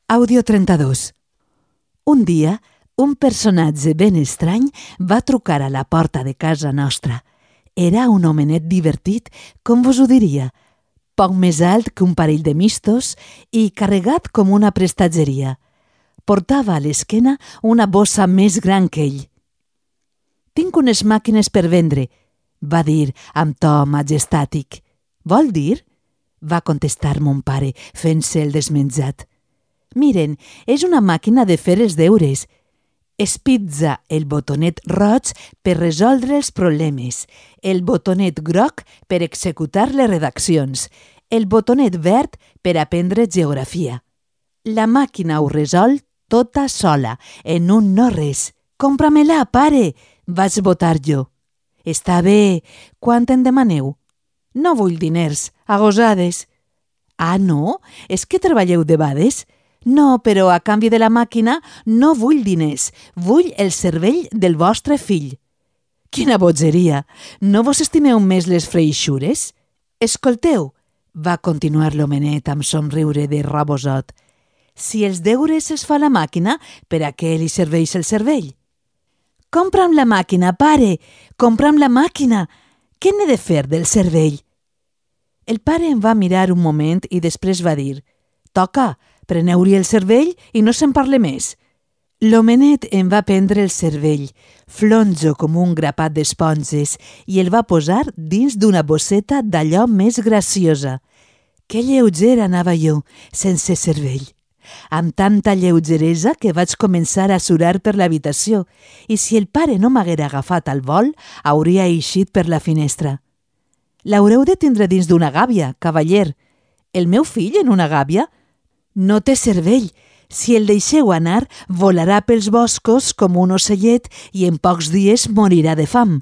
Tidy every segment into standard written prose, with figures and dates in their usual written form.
Àudio 32. Un dia, un personatge ben estrany va trucar a la porta de casa nostra. Era un homenet divertit, com vos ho diria, poc més alt que un parell de mistos i carregat com una prestatgeria. Portava a l'esquena una bossa més gran que ell. «Tinc unes màquines per vendre», va dir amb to majestàtic. «Vol dir?» va contestar mon pare, fent-se el desmenjat. «Miren, és una màquina de fer els deures. Espitza el botonet roig per resoldre els problemes, el botonet groc per executar les redaccions, el botonet verd per aprendre geografia. La màquina ho resol tota sola, en un no res. Compra-me-la, pare!» vaig votar jo. «Està bé, quant en demaneu?» «No vull diners, a gosades». «Ah, no? És que treballeu debades?» «No, però a canvi de la màquina no vull diners, vull el cervell del vostre fill». «Quina bogeria! No vos estimeu més les freixures?» «Escolteu», va continuar l'homenet amb somriure de rabosot, «si els deures es fa la màquina, per a què li serveix el cervell?» «Compra'm la màquina, pare! Compra'm la màquina! Què n'he de fer del cervell?» El pare em va mirar un moment i després va dir «Toca, preneu-li el cervell i no se'n parle més». L'homenet em va prendre el cervell, flonjo com un grapat d'esponges, i el va posar dins d'una bosseta d'allò més graciosa. Que lleuger anava jo, sense cervell. Amb tanta lleugeresa que vaig començar a surar per l'habitació, i si el pare no m'haguera agafat al vol, hauria eixit per la finestra. «L'haureu de tindre dins d'una gàbia, cavaller». «El meu fill en una gàbia?» «No té cervell. Si el deixeu anar, volarà pels boscos com un ocellet i en pocs dies morirà de fam».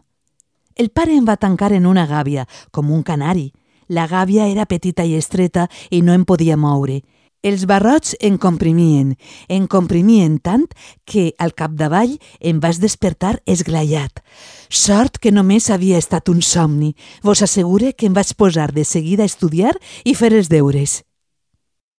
El pare em va tancar en una gàbia, com un canari. La gàbia era petita i estreta i no em podia moure. Els barrots em comprimien tant que, al capdavall, em vaig despertar esglaiat. Sort que només havia estat un somni. Vos assegure que em vaig posar de seguida a estudiar i fer els deures.